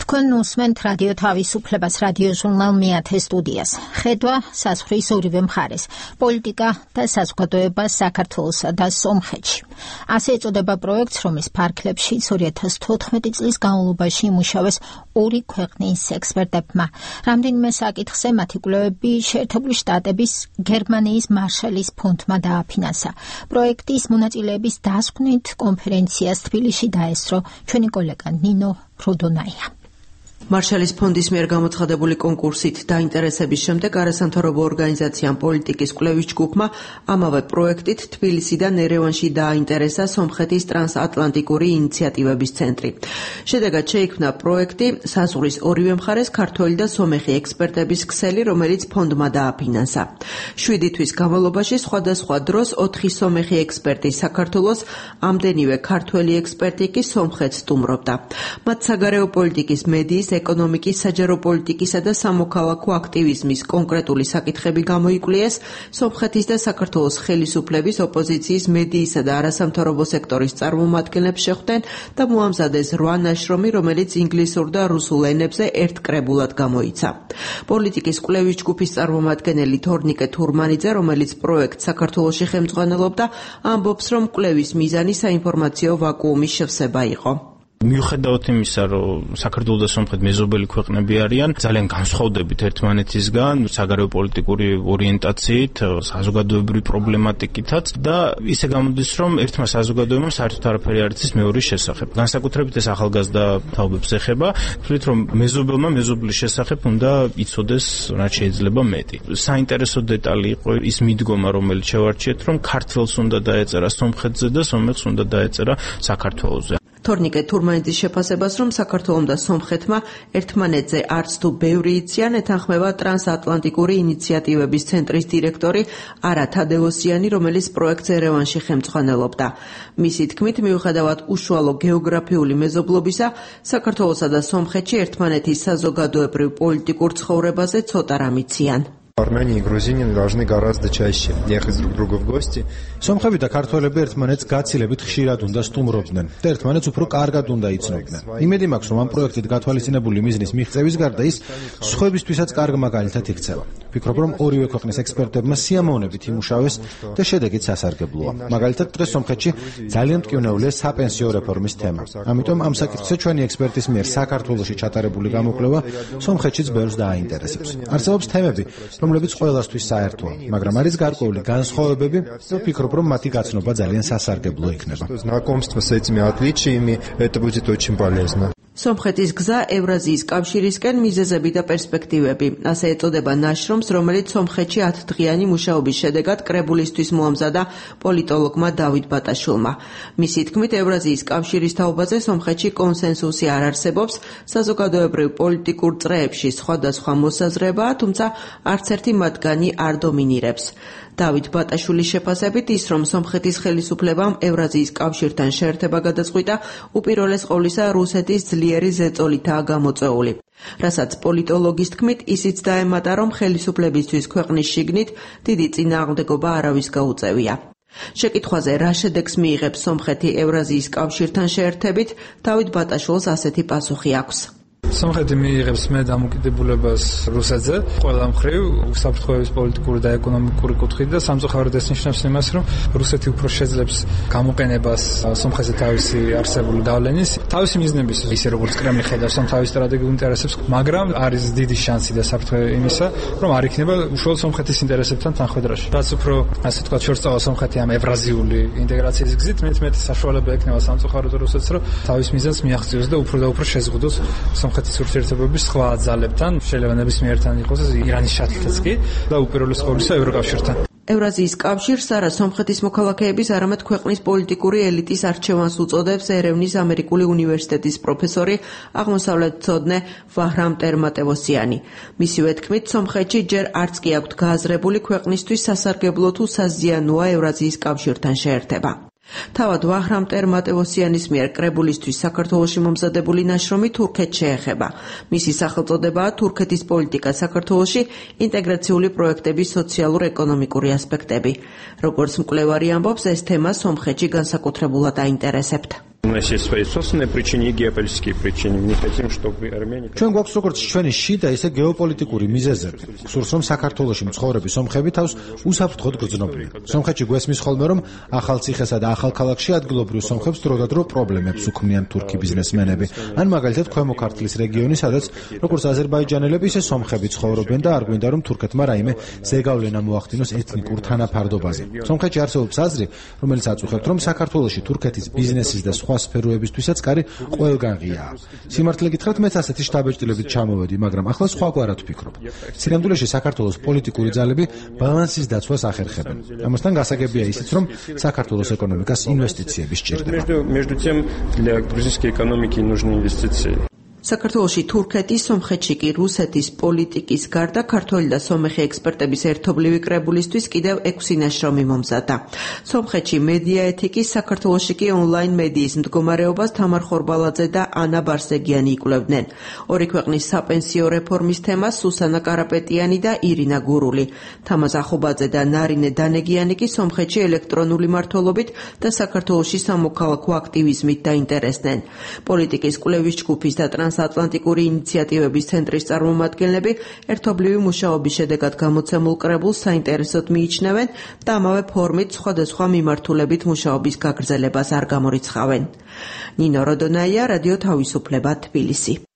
თქვენ უსმენთ რადიო თავისუფლებას, რადიო ჟურნალ მეათე სტუდიას. ხედვა საზღვრის ორივე მხარეს, პოლიტიკა და საზოგადოება საქართველოსა და სომხეთში. ასე ეწოდება პროექტს, რომლის ფარგლებში 2014 წლის განმავლობაში იმუშავეს ორი ქვეყნის ექსპერტებმა. რამდენიმე საკითხზე მათი კვლევები შეერთებული შტატების, გერმანიის მარშალის ფონდმა დააფინანსა. პროექტის მონაწილეების დასკვნით კონფერენციას თბილისში დაესწრო ჩვენი კოლეგა ნინო ფროდონაია. მარშალის ფონდის მიერ გამოცხადებული კონკურსით დაინტერესების შემდეგ არასამთავრობო ორგანიზაციამ პოლიტიკის კვლევის ჯგუფმა ამავე პროექტით თბილისიდან ერევანში დააინტერესა სომხეთის ტრანსატლანტიკური ინიციატივების ცენტრი. შედეგად შეიქმნა პროექტი საზღვრის ორივე მხარეს ქართველი და სომეხი ექსპერტების ქსელი, რომელიც ფონდმა დააფინანსა. 7 თვის განმავლობაში სხვადასხვა დროს 4 სომეხი ექსპერტი საქართველოს, ამდენივე ქართველი ექსპერტი კი სომხეთს სტუმრობდა. მათ საგარეო პოლიტიკის, მედიის, ეკონომიკის, საჯარო პოლიტიკისა და სამოქალაქო აქტივიზმის კონკრეტული საკითხები გამოიკვლიეს, სომხეთის და საქართველოს ხელისუფლების, ოპოზიციის, მედიისა და არასამთავრობო სექტორის წარმომადგენლებს შეხვდნენ და მოამზადეს 8 ნაშრომი, რომელიც ინგლისურ და რუსულ ენებზე ერთ კრებულად გამოიცა. პოლიტიკის კვლევის ჯგუფის წარმომადგენელი თორნიკე თურმანიძე, რომელიც პროექტს საქართველოში ხელმძღვანელობდა, ამბობს, რომ კვლევის მიზანი საინფორმაციო ვაკუუმის შევსება იყო. მიუხედავად იმისა, რომ საქართველო და სომხეთი მეზობელი ქვეყნები არიან, ძალიან განსხვავდებით ერთმანეთისგან საგარეო პოლიტიკური ორიენტაციით, საზოგადოებრივი პრობლემატიკითაც და ისე გამოდის, რომ ერთმა საზოგადოებამ საერთოდ არაფერი არ იცის მეორის შესახებ. განსაკუთრებით ეს ახალგაზრდა თაობებს ეხება, თვლით, რომ მეზობელმა მეზობლის შესახებ უნდა იცოდეს რაც შეიძლება მეტი. საინტერესო დეტალი იყო ის მიდგომა, რომელიც შევარჩიეთ, რომ ქართველს უნდა დაეწერა სომხეთზე და სომეხს უნდა დაეწერა საქართველოზე. თორნიკე თურმანიძის შეფასებას, რომ საქართველომ და სომხეთმა ერთმანეთზე არც თუ ბევრი იციან, ეთანხმება ტრანსატლანტიკური ინიციატივების ცენტრის დირექტორი არა თადეოსიანი, რომელიც პროექტს ერევანში ხელმძღვანელობდა. მისი თქმით, მიუხედავად უშუალო გეოგრაფიული მეზობლობისა, საქართველოსა და სომხეთში ერთმანეთის საზოგადოებრივ პოლიტიკურ ცხოვრებაზე ცოტა რამ იციან. Армяне и грузины должны гораздо чаще ехать друг к другу в гости. სომხები და ქართველები ერთმანეთს გაცილებით ხშირად უნდა სტუმრობდნენ და ერთმანეთს უფრო კარგად უნდა იცნობდნენ. იმედი მაქვს, რომ ამ პროექტით გათვალისწინებული მიზნის მიღწევის გარდა ის სხვებისთვისაც კარგ მაგალითად იქცევა. ვფიქრობ, რომ ორივე ქვეყნის ექსპერტებმა სიამოვნებით იმუშავეს და შედეგიც სასარგებლოა. მაგალითად, დღეს სომხეთში ძალიან მტკივნეულია საპენსიო რეფორმის თემა. ამიტომ ამ საკითხზე ჩვენი ექსპერტის მიერ საქართველოში ჩატარებული გამოკვლევა სომხეთშიც ბევრს დააინტერესებს. არსებობს თემები, რომლებიც ყველასთვის საერთოა, მაგრამ არის გარკვეული განსხვავებები და ვფიქრობ, რომ მათი გაცნობა ძალიან სასარგებლო იქნება. Знакомство с этими отличиями это будет очень полезно. სომხეთის გზა ევრაზიის კავშირისკენ, მიზეზები და პერსპექტივები. ასე ეწოდება ნაშრომს, რომელიც სომხეთში 10 დღიანი მუშაობის შედეგად კრებულისთვის მოამზადა პოლიტოლოგმა დავით ბატაშვილმა. მისი თქმით, ევრაზიის კავშირის თაობაზე სომხეთში კონსენსუსი არ არსებობს, საზოგადოებრივ პოლიტიკურ წრეებში სხვადასხვა მოსაზრებაა, თუმცა არც ერთი მათგანი არ დომინირებს. დავით ბატაშვილის შეფასებით ის, რომ სომხეთის ხელისუფლებამ ევრაზიის კავშირთან შეერთება გადაწყვიტა, უპირველეს ყოვლისა რუსეთის ძლიერი ზეწოლითაა გამოწვეული. რასაც პოლიტოლოგის თქმით, ისიც დაემატა, რომ ხელისუფლებისთვის ქვეყნის შიგნით დიდი წინააღმდეგობა არავის გაუწევია. შეკითხვაზე რა შედეგს მიიღებს სომხეთი ევრაზიის კავშირთან შეერთებით, დავით ბატაშვილს ასეთი პასუხი აქვს. სომხეთი მიიღებს მე დამოკიდებულებას რუსეთზე, ყველა მხრივ უსაფრთხოების პოლიტიკური და ეკონომიკური კუთხით და სამწუხაროდ ეს ნიშნავს იმას, რომ რუსეთი უფრო შეძლებს გამოყენებას სომხეთზე თავისი არსებული გავლენის, თავისი მიზნების, ისე როგორც კრემლი ხედავს თავის სტრატეგიულ ინტერესებს, მაგრამ არის დიდი შანსი და საფრთხე იმისა, რომ არ იქნება უშუალოდ სომხეთის ინტერესებთან თანხვედრაში. რაც უფრო, ასე ვთქვათ, შორსწავა სომხეთი ამ ევრაზიული ინტეგრაციის გზით, მეტ საშუალება ექნება სამწუხაროდ რუსეთს, რომ თავის მიზანს მიაღწიოს და უფრო შეზღუდოს სომხეთის ურთიერთობების სხვა ძალებთან, შეიძლება ნებისმიერთან იყოს ირანის შეთანხმებაც კი და უპირველეს ყოვლისა ევროკავშირთან. ევრაზიის კავშირს არა სომხეთის მოქალაქეების, არამედ ქვეყნის პოლიტიკური ელიტის არჩევანს უწოდებს ერევნის ამერიკული უნივერსიტეტის პროფესორი, აღმოსავლეთმცოდნე ვაჰრამ ტერმატევოსიანი. მისივე თქმით, სომხეთში ჯერ არც კი აქვთ გააზრებული ქვეყნისთვის სასარგებლო თუ საზიანოა ევრაზიის კავშირთან შეერთება. თავად ვაჰრამ ტერმატევოსიანის მიერ კრებულისთვის საქართველოში მომზადებული ნაშრომი თურქეთს შეეხება. მისი სახელწოდებაა თურქეთის პოლიტიკა საქართველოში, ინტეგრაციული პროექტების სოციალურ-ეკონომიკური ასპექტები. როგორც მკვლევარი ამბობს, ეს თემა სომხეთში განსაკუთრებულად აინტერესებთ. У нас есть свои собственные причины и геополитические причины. Мы не хотим, чтобы Армения... ჩვენ გვაქვს როგორც ჩვენი შიდა, ისე გეოპოლიტიკური მიზეზები. გსურს რომ საქართველოში მცხოვრები სომხები თავს უსაფრთხოდ გრძნობდნენ. სომხეთში გვესმის ხოლმე რომ ახალციხესა და ახალქალაქში ადგილობრივ სომხებს დროდადრო პრობლემებს უქმნიან თურქი ბიზნესმენები. ან მაგალითად ქვემო ქართლის რეგიონი, სადაც როგორც აზერბაიჯანელები, ისე სომხები ცხოვრობენ და არ გვინდა რომ თურქეთმა რაიმე ზეგავლენა მოახდინოს ეთნიკურ თანაფარდობაზე. სომხეთში არსებობს აზრი, რომელიც აწუხებთ, რომ საქართველოში თურქეთის ბიზნესის და სხვა სფეროებისთვისაც კარი ყველგან ღიაა. სიმართლე გითხრათ, მეც ასეთი შთაბეჭდილებით ჩამოვედი, მაგრამ ახლა სხვაგვარად ვფიქრობ. სინამდვილეში საქართველოს პოლიტიკური ძალები ბალანსის დაცვას ახერხებენ. ამასთან გასაგებია ისიც, რომ საქართველოს ეკონომიკას ინვესტიციები სჭირდება. Между тем, для грузинской экономики нужны инвестиции. საქართველოში თურქეთის, სომხეთში კი რუსეთის პოლიტიკის გარდა ქართველი და სომეხი ექსპერტების ერთობლივი კრებულისთვის კიდევ 6 ნაშრომი მომზადდა. სომხეთში მედია ეთიკის, საქართველოში კი ონლაინ მედიის მდგომარეობას თამარ ხორბალაძე და ანა ბარსეგიანი იკვლევდნენ. ორი ქვეყნის საპენსიო რეფორმის თემას სუსანა კარაპეტიანი და ირინა გურული. თამაზ ახობაძე და ნარინე დანეგიანი კი სომხეთში ელექტრონული მმართველობით და საქართველოში სამოქალაქო აქტივიზმით დაინტერესდნენ. პოლიტიკის კვლევის ჯგუფის და ტრანსატლანტიკური ინიციატივების ცენტრის წარმომადგენლები ერთობლივი მუშაობის შედეგად გამოცემულ კრებულს საინტერესოდ მიიჩნევენ და ამავე ფორმით სხვადასხვა მიმართულებით მუშაობის გაგრძელებას არ გამორიცხავენ. ნინო როდონაია, რადიო თავისუფლება, თბილისი.